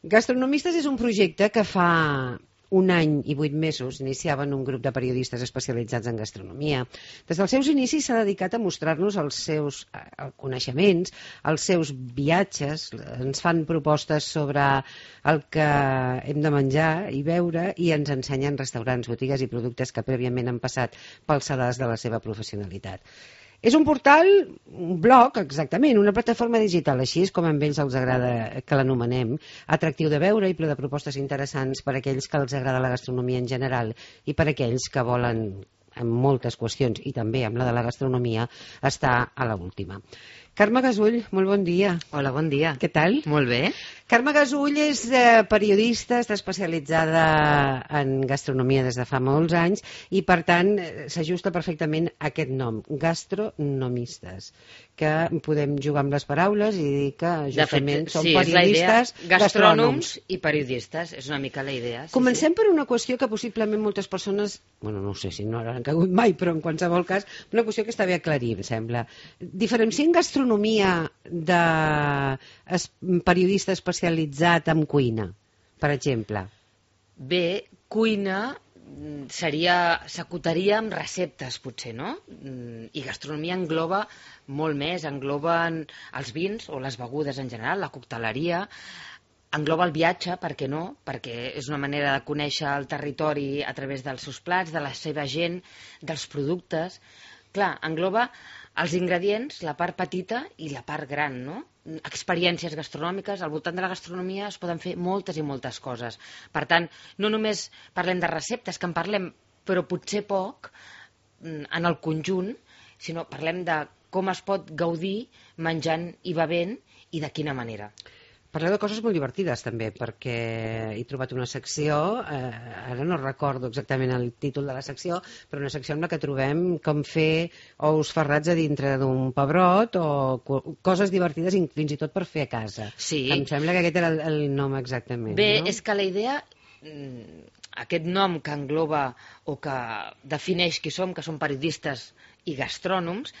Gastronomistes és un projecte que fa un any i 8 mesos iniciaven un grup de periodistes especialitzats en gastronomia. Des dels seus inicis s'ha dedicat a mostrar-nos els seus coneixements, els seus viatges, ens fan propostes sobre el que hem de menjar i beure i ens ensenyen restaurants, botigues i productes que prèviament han passat pel sedàs de la seva professionalitat. És un portal, un blog, exactament, una plataforma digital, així és com a ells els agrada que l'anomenem, atractiu de veure i ple de propostes interessants per a aquells que els agrada la gastronomia en general i per a aquells que volen, en moltes qüestions, i també amb la de la gastronomia, estar a l'última. Carme Gasull, molt bon dia. Hola, bon dia. Què tal? Molt bé. Carme Gasull és periodista, està especialitzada en gastronomia des de fa molts anys i, per tant, s'ajusta perfectament a aquest nom, gastronomistes, que podem jugar amb les paraules i dir que justament són periodistes gastrònoms i periodistes, és una mica la idea. Comencem per una qüestió que possiblement moltes persones, bueno, no sé si no han cagut mai, però en qualsevol cas, una qüestió que està bé aclarir, em sembla. Diferenciem gastronomia de periodista especialitzat en cuina, per exemple? Bé, cuina s'acotaria amb receptes, potser, no? I gastronomia engloba molt més, engloben els vins o les begudes en general, la cocteleria, engloba el viatge, per què no? Perquè és una manera de conèixer el territori a través dels seus plats, de la seva gent, dels productes. Clar, engloba els ingredients, la part petita i la part gran, no? Experiències gastronòmiques, al voltant de la gastronomia es poden fer moltes i moltes coses. Per tant, no només parlem de receptes, que en parlem, però potser poc, en el conjunt, sinó parlem de com es pot gaudir menjant i bevent i de quina manera. Parleu de coses molt divertides també, perquè he trobat una secció, ara no recordo exactament el títol de la secció, però una secció en la que trobem com fer ous ferrats a dintre d'un pebrot o coses divertides fins i tot per fer a casa. Sí. Em sembla que aquest era el nom exactament. Bé, no? És que la idea, aquest nom que engloba o que defineix qui som, que som periodistes i gastrònoms,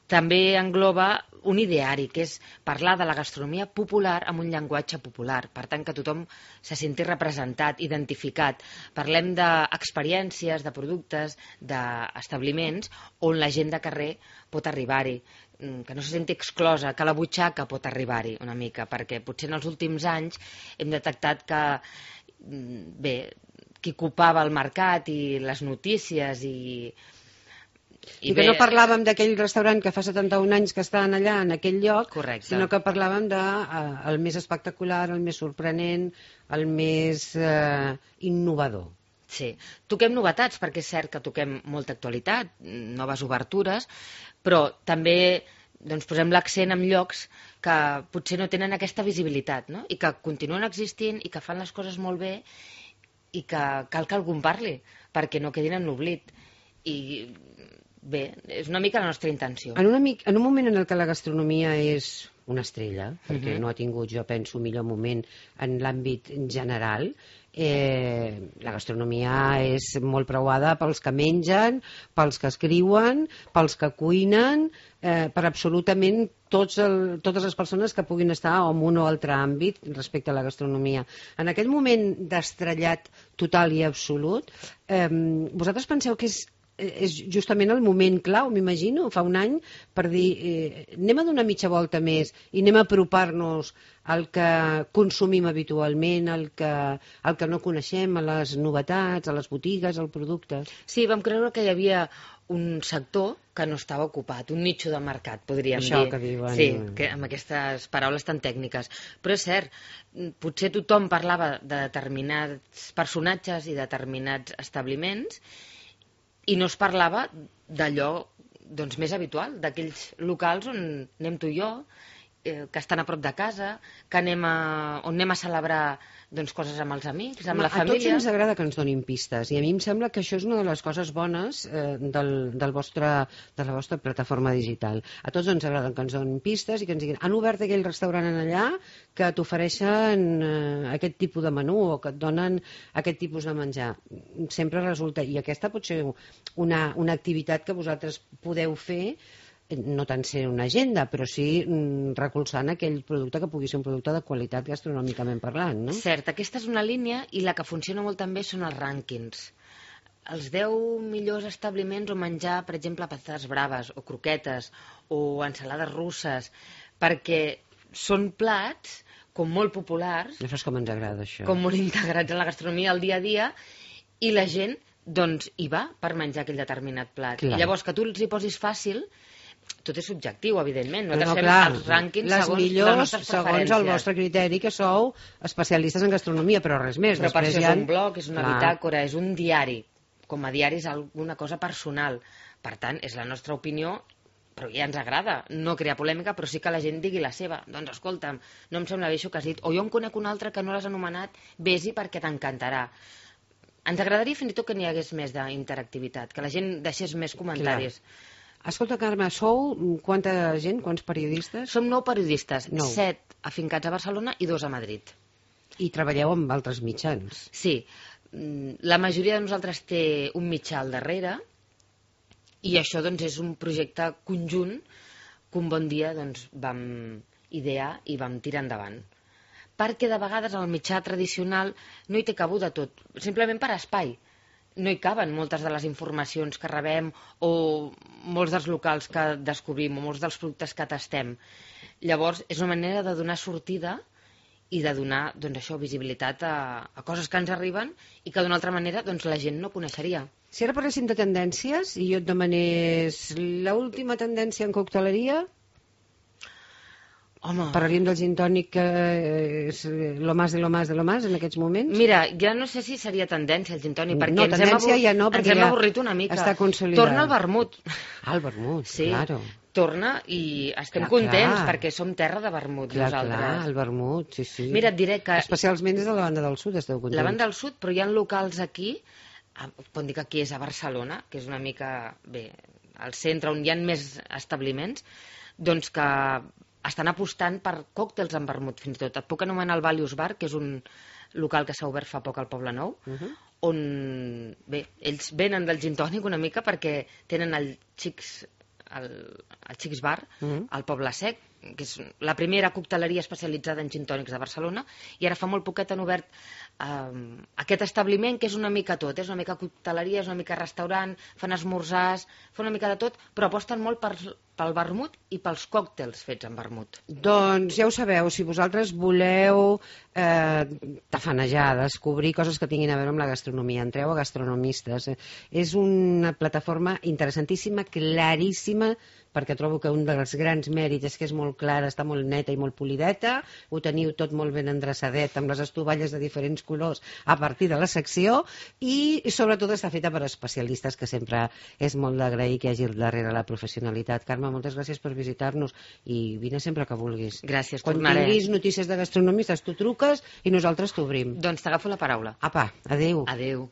també engloba un ideari, que és parlar de la gastronomia popular amb un llenguatge popular, per tant que tothom se senti representat, identificat. Parlem d'experiències, de productes, d'establiments on la gent de carrer pot arribar-hi, que no se senti exclosa, que la butxaca pot arribar-hi una mica, perquè potser en els últims anys hem detectat que, bé, qui ocupava el mercat i les notícies I que no parlàvem d'aquell restaurant que fa 71 anys que estan allà, en aquell lloc, correcte, sinó que parlàvem del més espectacular, el més sorprenent, el més innovador. Sí, toquem novetats, perquè és cert que toquem molta actualitat, noves obertures, però també posem l'accent en llocs que potser no tenen aquesta visibilitat, no? I que continuen existint i que fan les coses molt bé i que cal que algú en parli, perquè no quedin en l'oblit. I bé, és una mica la nostra intenció. En un moment en què la gastronomia és una estrella, perquè no ha tingut, jo penso, millor moment en l'àmbit general, la gastronomia és molt preuada pels que mengen, pels que escriuen, pels que cuinen, per absolutament totes les persones que puguin estar en un o altre àmbit respecte a la gastronomia. En aquest moment d'estrellat total i absolut, vosaltres penseu que és justament el moment clau, m'imagino, fa un any, per dir, anem a donar mitja volta més i anem a apropar-nos al que consumim habitualment, al que no coneixem, a les novetats, a les botigues, al producte. Sí, vam creure que hi havia un sector que no estava ocupat, un nicho de mercat, podríem dir. Això que diuen. Sí, que amb aquestes paraules tan tècniques. Però és cert, potser tothom parlava de determinats personatges i determinats establiments i no es parlava d'allò més habitual, d'aquells locals on anem tu i jo, que estan a prop de casa, que on anem a celebrar coses amb els amics, amb la família. A tots ens agrada que ens donin pistes i a mi em sembla que això és una de les coses bones de la vostra plataforma digital. A tots ens agrada que ens donin pistes i que ens diguin han obert aquell restaurant allà que t'ofereixen aquest tipus de menú o que et donen aquest tipus de menjar. Sempre resulta, i aquesta pot ser una activitat que vosaltres podeu fer no tant ser una agenda, però sí recolzant aquell producte que pugui ser un producte de qualitat gastronòmicament parlant, no? Cert, aquesta és una línia i la que funciona molt també són els rànquings. Els 10 millors establiments on menjar, per exemple, patates braves o croquetes o ensalades russes, perquè són plats com molt populars, Això és com ens agrada, això. com molt integrats en la gastronomia al dia a dia, i la gent doncs hi va per menjar aquell determinat plat. Clar. I llavors que tu els hi posis fàcil, tot és subjectiu, evidentment. No, Nosaltres fem clar, els rànquings les segons les millors, nostres segons preferències. el vostre criteri, que sou especialistes en gastronomia, però res més. Però per Després això hi ha... és un blog, és una Clar. bitàcora, és un diari. Com a diari és alguna cosa personal. Per tant, és la nostra opinió, però ja ens agrada no crear polèmica, però sí que la gent digui la seva. Doncs escolta'm, no em sembla bé això que has dit, o jo en conec un altre que no l'has anomenat, vés-hi perquè t'encantarà. Ens agradaria fins i tot que n'hi hagués més d'interactivitat, que la gent deixés més comentaris. Escolta, Carme, sou quanta gent, quants periodistes? Som 9 periodistes, 9. 7 afincats a Barcelona i 2 a Madrid. I treballeu amb altres mitjans. Sí, la majoria de nosaltres té un mitjà al darrere i això doncs, és un projecte conjunt que un bon dia doncs, vam idear i vam tirar endavant. Perquè de vegades el mitjà tradicional no hi té cabuda tot, simplement per espai. No hi caben moltes de les informacions que rebem o molts dels locals que descobrim o molts dels productes que tastem. Llavors, és una manera de donar sortida i de donar doncs, això, visibilitat a coses que ens arriben i que d'una altra manera doncs, la gent no coneixeria. Si ara parléssim de tendències i jo et demanés l'última tendència en cocteleria, Home, parlaríem del gin tònic que és lo más de lo más de lo más en aquests moments? mira, ja no sé si seria tendència el gin tònic, perquè No, tendència ja no, ens perquè hem ja avorrit una mica. està consolidat. Torna el vermut. Ah, el vermut, Sí, claro. torna i estem Clar, contents clar. perquè som terra de vermut Clar, nosaltres. el vermut, sí, sí. Mira, et diré que Especialment des de la banda del sud esteu contents. la banda del sud, però hi ha locals aquí, pot dir que aquí és a Barcelona, que és una mica, bé, al centre on hi ha més establiments, doncs que estan apostant per còctels amb vermut, fins i tot. Et puc anomenar el Valius Bar, que és un local que s'ha obert fa poc al Poble Nou, on, bé, ells venen del gin tònic una mica perquè tenen el Xics Bar, al Poble Sec, que és la primera cocteleria especialitzada en gin tònics de Barcelona, i ara fa molt poquet han obert aquest establiment que és una mica tot, és una mica cocteleria, és una mica restaurant, fan esmorzars, fan una mica de tot, però aposten molt pel vermut i pels còctels fets amb vermut. Doncs ja ho sabeu, si vosaltres voleu tafanejar, descobrir coses que tinguin a veure amb la gastronomia, entreu a Gastronomistes. És una plataforma interessantíssima, claríssima, perquè trobo que un dels grans mèrits és que és molt clara, està molt neta i molt polideta, ho teniu tot molt ben endreçadet, amb les estovalles de diferents colors a partir de la secció, i sobretot està feta per especialistes, que sempre és molt d'agrair que hi hagi al darrere la professionalitat. Carme, moltes gràcies per visitar-nos i vine sempre que vulguis. Gràcies, Quan tornaré. tinguis notícies de gastronomistes, tu truques i nosaltres t'obrim. Doncs t'agafo la paraula. Apa, adéu. Adéu.